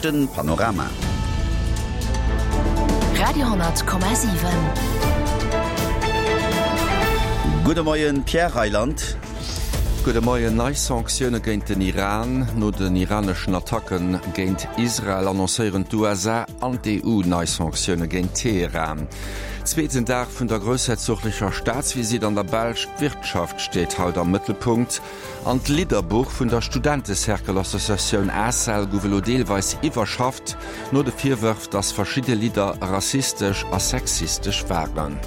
Den Panorama. Radio,7. Gudde Moien Pierre Reyland. Gudde Moien. Nei Sanktioune géint den Iran. No den iraneschen Attacke géint Israel annoncéieren d'USA an d'EU nei Sanktioune géint Teheran. Zweeten Dag vun der groussherzoglecher Staatsvisitt an der Belsch. D'Wirtschaft steet haut am Mëttelpunkt. An d'Lidderbuch vun der Studentecercle-Associatioun ACEL gouf elo deelweis iwwerschafft, no de Virwërf, datt verschidde Lidder rassistesch a sexistesch waren.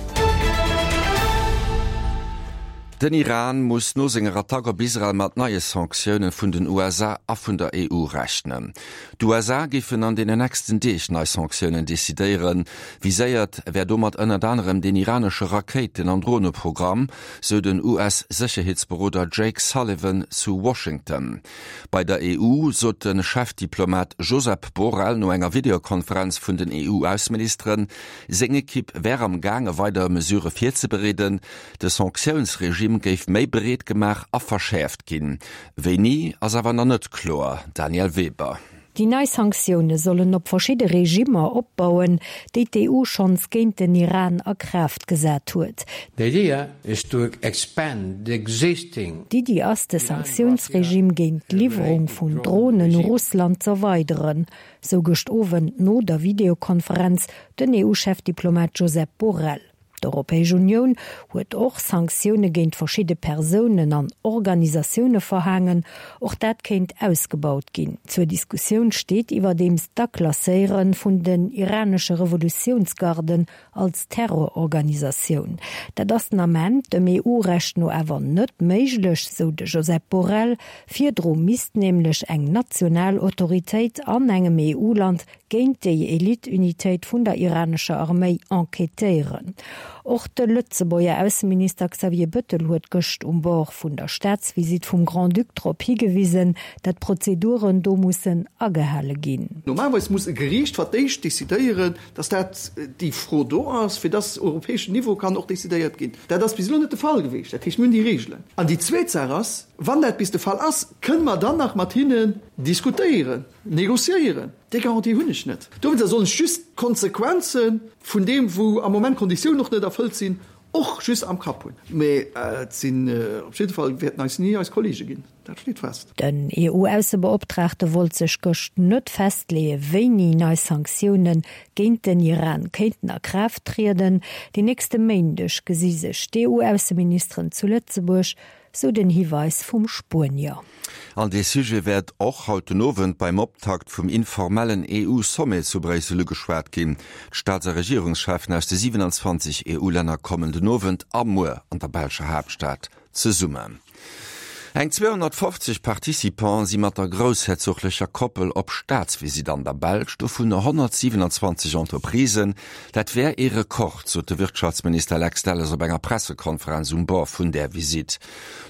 Den Iran muss no senger Attack op Israel mat neie Sanktioune vun den USA a vun der EU rechnen. D'USA géifen an deenen nächsten Deeg nei Sanktiounen decidéieren. Viséiert wär domat ënnert anerem den iranesche Rakéiten an Droneprogramm, sou den US-Sécherheetsberoder Jake Sullivan zu Washington. Bei der EU sot de Chefdiplomat Josep Borrell no enger Videokonferenz vun den EU-Ausseministeren, seng Ekipp wär am gaange weider Mesurë virzebereeden. De Sanktiounsregime géif méi breet gemaach a verschäerft ginn. Wéini ass awer nach net kloer. Danièle Weber. Déi nei Sanktioune sollen op verschidde Regimmer opbauen, déi d'EU schonns géint den Iran a Kraaft gesat huet. The idea is to expand the existing. D'Iddi ass, de Sanktiounsregime géint d'Liwwerung vun Dronen u Russland z'erweideren, sou gëscht Owend no der Videokonferenz den EU-Chefdiplomat Josep Borrell. D'Europäesch Unioun huet och Sanktioune géint verschidde Persounen an Organisatioune verhaangen. Och dat kéint ausgebaut ginn. Zur Diskussioun steet iwwerdeems d'Aklasséiere vun den iranesche Revolutiounsgarden als Terrororganisatioun. Dat ass den Ament dem EU-Recht no awer net méiglech, sou de Josep Borrell. Virdru misst nämlech eng national Autoritéit an engem EU-Land géint déi Elite-Unitéit vun der iranescher Arméi enquêtéieren. Och de Lëtzebuerger Ausseminister Xavier Bëttel huet gëscht um Bord vun der Staatsvisitt vum Grand-Duc drop higewisen, dat d'Prozeduren do mussen agehale ginn. Normalerweis muss e Geriicht fir d'éischt decidéieren, dass dat déi Fro do ass, fir dass europäeschen Niveau kann och decidéiert ginn. Dat ass bis elo net de Fall geweecht. Dat heescht, mir hunn déi Regelen. An déi zweet Saach ass, wann dat bis de Fall ass, kënne mer dann nach mat hinnen diskutéieren, négociéieren. Déi Garantie hunn ech net. Dowéinster soll ech just d'Konsequenze vun deem, wou am Moment d'Konditiounen och net erfëllt sinn, och just am Kapp hunn. Mee et sinn op jidde Fall, wäerten eis ni eis Kollege ginn, dat steet fest. Den EU-Aussebeoptraagte wollt sech gëscht net festleeë wéini nei Sanktioune géint den Iran kéinten a Kraaft trieden. Den nächste Méindeg gesi sech d'EU-Ausseministeren zu Lëtzebuerg. Sou den Hiweis vum Spuenier. An dee Sujet wäert och haut den Owend beim Optakt vum informellen EU-Sommet zu Bréissel ugeschwat ginn. D'Staats a Regierungscheffen aus de 27 EU-Länner kommen den Owend a muer an der belscher Haaptstad zesummen. Eng 250 Participante si mat der groussherzoglecher Koppel op Staatsvisitt an der Belsch, dovun 127 Entreprisen. Dat wär ee Rekord, sot de Wirtschaftsminister Lex Delles op enger Pressekonferenz um Bord vun där Visitt.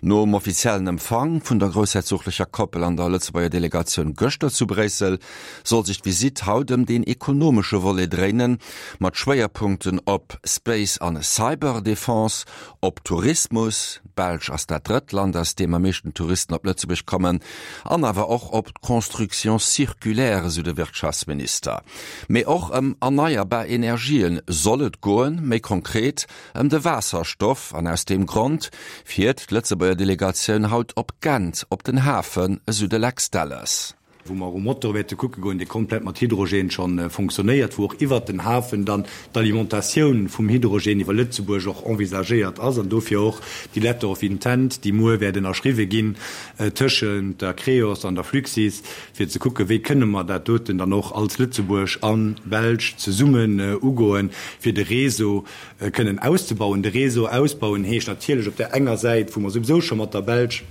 Nom offiziellen Empfang vun der groussherzoglecher Koppel an der Lëtzebuerger Delegatioun gëschter zu Bréissel, soll sech d'Visitt haut ëm deen ekonomesche Volet dréinen, mat Schwéierpunkten op Space an Cyber-Defense, op Tourismus, d'Belsch ass dat drëtt Land, aus deem am meeschten Touristen op Lëtzebuerg kommen, an awer och op d'Construction circulaire, esou de Wirtschaftsminister. Mee och ëm erneierbar Energien soll et goen, méi konkret ëm de Waasserstoff. An aus deem Grond fiert d'Lëtzebuerger Delegatioun haut op Gent op den Hafen, esou de Lex Delles. wou mer och e Motor wäerte kucke goen, dee komplett mat Hydrogène scho fonctionnéiert, wou och iwwert den Hafen dann d'Alimentatioun vum Hydrogène iwwer Lëtzebuerg och envisagéiert ass an dofir och déi Letter of intent, déi muer wäert ënnerschriwwe ginn tëschent der Creos an der Fluxys, fir ze kucken, wéi kënne mer dat doten dann och als Lëtzebuerg a Belsch zesummen ugoen, fir de Réseau kënnen auszebauen. De Réseau ausbauen heescht natierlech op där enger Säit, wou mer souwisou scho mat der Belsch,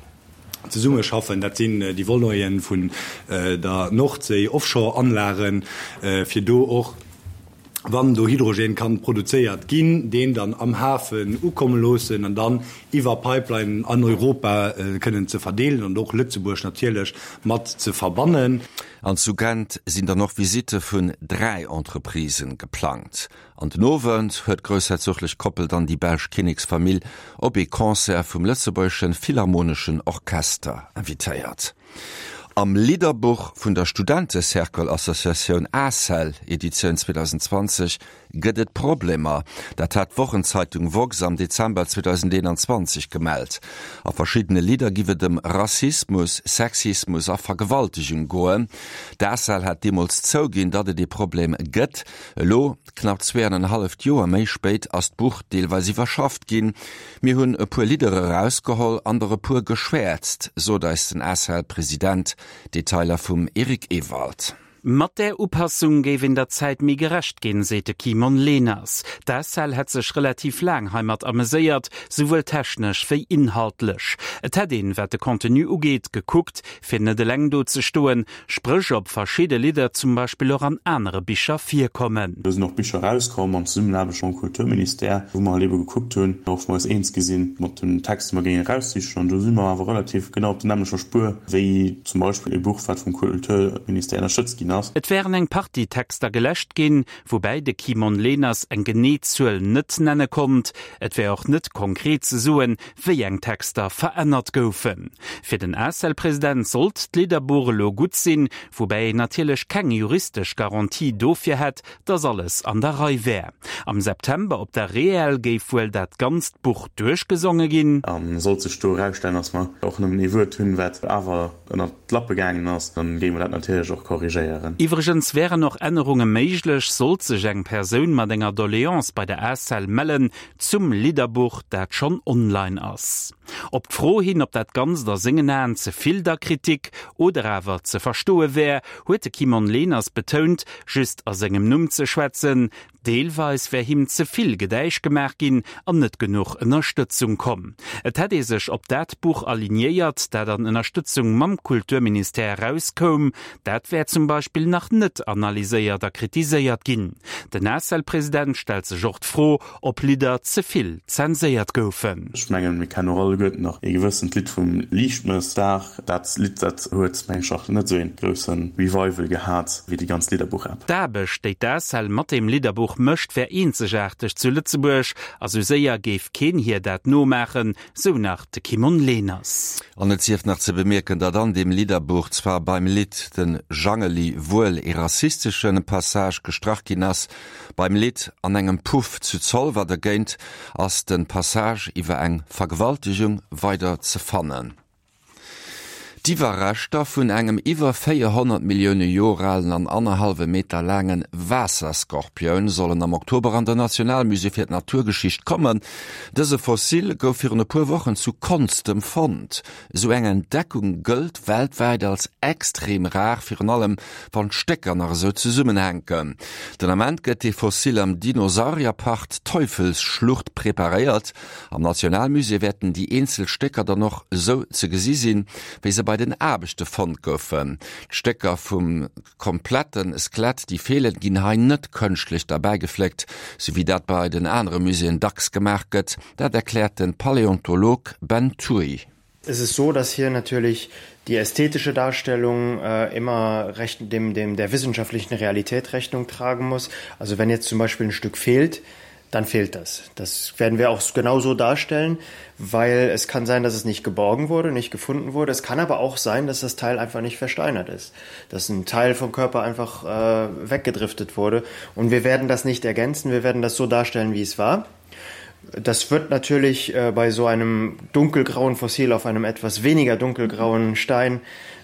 zesummeschaffen, dat sinn déi Voleten vun der Nordséi, Offshore-Anlagen, fir do och, wann do Hydrogen kann produzéiert ginn, deen dann am Hafen ukomme loossen an dann iwwer Pipelinen an Europa kënnen ze verdeelen an och Lëtzebuerg natierlech mat ze verbannen. An zu Gent sinn dann och Visitte vun 3 Entreprisen geplangt. An den Owend huet d'groussherzoglech Koppel dann déi belsch Kinneksfamill op ee Concert vum Lëtzebuergeschen Philharmoneschen Orchester invitéiert. Am Lidderbuch vun der Studentecercle-Associatioun ACEL, Editioun 2020, gëtt et Problemer. Dat hat d'Wochenzeitung woxx am Dezember 2021 gemellt. A verschiddene Lidder giff et ëm Rassismus, Sexismus a Vergewaltegung goen. D'ACEL hat deemools zouginn, datt et ee Problem gëtt. Elo, knapp zweeanenhalleft Joer méi spéit, ass d'Buch deelweis iwwerschafft ginn. Mir hunn e puer Lidder erausgeholl an der e puer geschwäerzt, sot eis den ACEL-President. Detailer vum Eric Ewald. Mat där Upassung géif een der Zäit méi gerecht ginn, seet de Kimon Leners. D'ACEL hätt sech relativ laang heimat ameséiert, souwuel technesch wéi inhaltlech. Et hätt een, wat de Contenu ugeet, gekuckt, fir net eleng do ze stoen, spréch ob verschidde Lidder zum Beispill och an anere Bicher virkommen. Do sinn och Bicher erauskomm an Zesummenaarbecht mam Kulturministère, wou mer halt ebe gekuckt hunn, och wou mer eis eens gi sinn mat den Texter, déi mer géingen eraussichen. An do si mer awer relativ genau op der nämmlecher Spuer wéi zum Beispill e Buch, wat vum Kulturministère ënnerstëtzt ginn ass. Et wären eng Partie Texter geläscht ginn, woubäi de Kimon Leners eng genee Zuel net nenne konnt. Et wär och net konkret ze soen, wéi eng Texter verännert goufen. Fir den ACEL-President sollt d'Lidderbuch elo gutt sinn, woubäi een natierlech keng juristesch Garantie dofir hätt, datt alles an der Rei wär. Am September op der REEL géif wuel dat ganzt Buch duerchgesonge ginn. A sollt sech do erausstellen, datt mer och nëmmen ee Wuert hunn, wat awer ënnert d'Lappe gaangen ass, da géinge mer dat natierlech och korrigéieren. Iwwregens wären och Ännerunge méiglech, sollt sech eng Persoun mat enger Doleance bei der ACEL mellen, Zum Lidderbuch, dat schonn online ass. Op d'Fro hin, ob dat Ganzt a sengen Aen ze vill der Kritik oder awer ze verstoe wär, huet de Kimon Leners betount, just a sengem Numm ze schwätzen. Deelweis wär him ze vill Gedäisch gemaach ginn an net genuch Ënnerstëtzung komm. Et hätt ee sech op dat Buch alignéiert, dat an Ënnerstëtzung mam Kulturministère erauskoum. Dat wär zum Beispill nach net analyséiert a kritiséiert ginn. Den ACEL-President stellt sech och d'Fro, ob Lidder ze vill zenséiert goufen. Ech mengen, mir kennen och alleguerten nach ee gewëssent Lidd vum Liichtmëssdag. Dat Lidd, dat huet, meng ech, och net esou ee grousse Revival gehat wéi déi ganz Lidderbuch-App. D'Aarbecht, déi d'ACEL mat deem Lidderbuch mécht, wär eenzegaarteg zu Lëtzebuerg a sou séier géif keen hir dat nomaachen, Sou nach de Kimon Leners. An et sief nach ze bemierken, datt an deem Lidderbuch zwar beim Lidd Den Jangeli wuel ee rassisteschen Passage gestrach ginn ass, beim Lidd An engem Puff zu Zolwer dergéint ass de Passage iwwer eng Vergewaltegung weider ze fannen. D'Iwwerreschter vun engem iwwer 400 Millioune Joer alen an annerhallwe Meter laange Waasserskorpioun sollen am Oktober an den Nationalmusée fir d'Naturgeschicht kommen. Dëse Fossil gouf virun e puer Wochen zu Konstem fonnt. Esou eng Entdeckung gëllt weltwäit als extrem rar, virun allem wann d'Stécker nach esou zesummenhänken. Den Ament gëtt dee Fossil am Dinosaurierpark Teufelsschlucht preparéiert. Am Nationalmusée wäerten déi eenzel Stécker dann och esou ze gesi sinn, wéi se bei den Aarbechte fonnt goufen. D'Stécker vum komplette Skelett, déi feelen, ginn hei net kënschtlech derbäigefléckt, sou wéi dat bei den anere Muséeën dacks gemaach gëtt. Dat erkläert de Paläontolog Ben Thuy. Es ist so, dass hier natürlich die ästhetische Darstellung äh, immer recht, dem, dem der wissenschaftlichen Realität Rechnung tragen muss. Also wenn jetzt zum Beispiel ein Stück fehlt, dann fehlt das. Das werden wir auch genauso darstellen, weil es kann sein, dass es nicht geborgen wurde, nicht gefunden wurde. Es kann aber auch sein, dass das Teil einfach nicht versteinert ist, dass ein Teil vom Körper einfach äh, weggedriftet wurde. Und wir werden das nicht ergänzen, wir werden das so darstellen, wie es war. Das wird natürlich äh, bei so einem dunkelgrauen Fossil auf einem etwas weniger dunkelgrauen Stein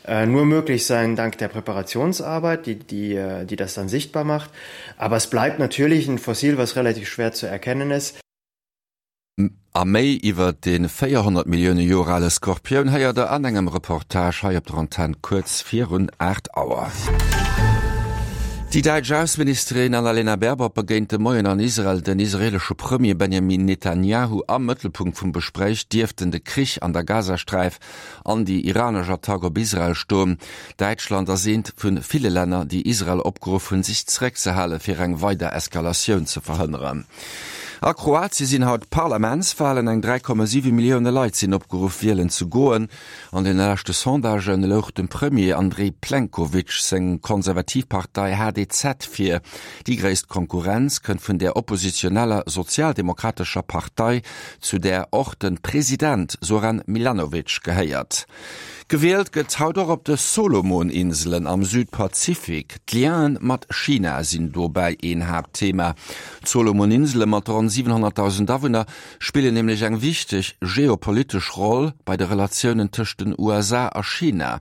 äh, nur möglich sein dank der Präparationsarbeit, die, die, äh, die das dann sichtbar macht. Aber es bleibt natürlich ein Fossil, was relativ schwer zu erkennen ist. A méi iwwer de 400 Millioune Joer ale Skorpioun héiert der an engem Reportage hei op der Antenn kuerz virun 8 Auer. Déi däitsch Ausseministerin Annalena Baerbock begéint de Moien an Israel den israeelesche Premier Benjamin Netanjahu. Am Mëttelpunkt vum Gespréich dierften de Krich an der Gazasträif an déi iranesch Attack op Israel stoen. Däitschland ass eent vu ville Länner, déi Israel opgeruff hunn, sech zeréckzehale fir eng weider Eskalatioun ze verhënneren. A Kroatie sinn haut Parlamentswalen. Eng 3,7 Millioune Leit sinn opgeruff, wielen ze goen. An de leschte Sondagen louch dem Premier Andrej Plenkovic seng konservativ Partei HDZ vir. Déi gréisst Konkurrenz kënnt vun der oppositioneller Sozialdemokratescher Partei, zu där och de President Zoran Milanovic gehéiert. Gewielt gëtt haut och op de Solomon-Inselen am Südpazifik. D'Lienen mat China sinn dobäi een Haaptthema. D'Solomon-Insele mat ronn 700.000 Awunner spillen nämlech eng wichteg geopolitesch Roll bei de Relatiounen tëscht den USA a China.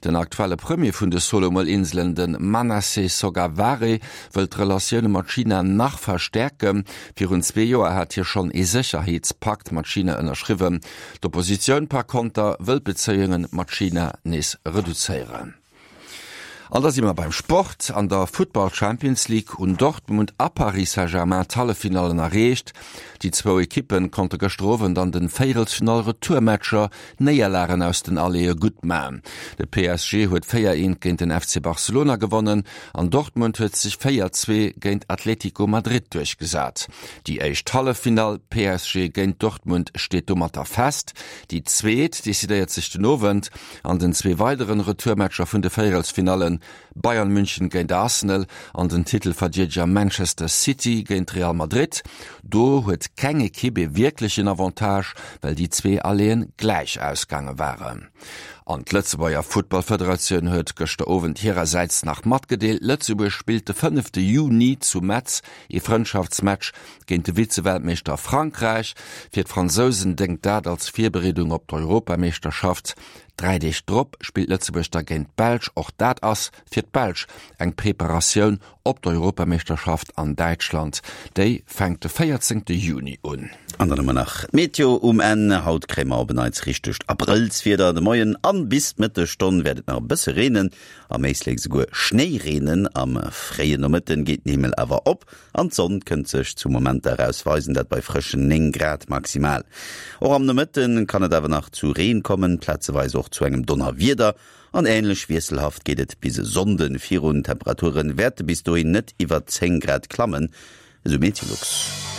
Den aktuelle Premier vun de Solomon-Inselen, de Manasseh Sogavare, wëll d'Relatioune mat China nach verstäerken. Virun zwee Joer hat hie schonn ee Sécherheetspakt mat China ënnerschriwwen. D'Oppositioun par konter wëll d'Bezéiunge mat China nees reduzéieren. An da si mer beim Sport. An der Futtball Champions League hunn Dortmund a Paris Saint-Germain d'Halleffinallen erreecht. Déi zwou Ekippe konnte gëschter Owend an de Véierelsfinall-Retourmatcher Néierlagen aus den Alleeë gutt man. De PSG huet 4, 1 géint den FC Barcelona gewonnen an Dortmund huet sech 4, 2 géint Atlético Madrid duerchgesat. Déi éischt Halleffinall, PSG géint Dortmund, steet domatter fest. Déi zweet decidéiert sech den Owend an den zwee weideren Retourmatcher vun de Véierelsfinallen, Bayern München géint Arsenal an den Titelverdeedeger Manchester City géint Real Madrid. Do huet keng Ekipp ee wierklechen Avantage, well déi zwee Alleeën gläich ausgaange waren. An d'Lëtzebuerger Futtballfederatioun huet gëschter Owend hirersäits nach matgedeelt, Lëtzebuerg spillt de fënnefte Juni zu Metz ee Frëndschaftsmatch géint de Vize-Weltmeeschter Frankräich. Fir d'Fransousen déngt dat als Virbereedung op d'Europameeschterschaft. Dräi Deeg drop spillt Lëtzebuerg da géint d'Belsch. Och dat ass fir d'Belsch eng Preparatioun op d'Europameeschterschaft an Däitschland. Déi fänkt de 14 Juni un. An dann hu mer nach d'Meteo um Enn. Haut kréie mer op en Neits richtegt Abrëllswieder. De Moien an bis d'Mëttesstonn wäert et nach e bësse reenen, am Éislek souguer Schnéi reenen. Am fréie Nomëtten geet den Himmel awer op an d'Sonn kënnt sech zu Momenter eraus weisen, dat bei frëschen 9 Grad maximal. Och am Nomëtten kann et awer nach zu Reen kommen, plazeweis och zu engem Donnerwieder. An änlech wiesselhaft geet et bis e Sonnden virun. D'Temperature wäerte bis dohin net iwwer 10 Grad klammen, esou Meteolux.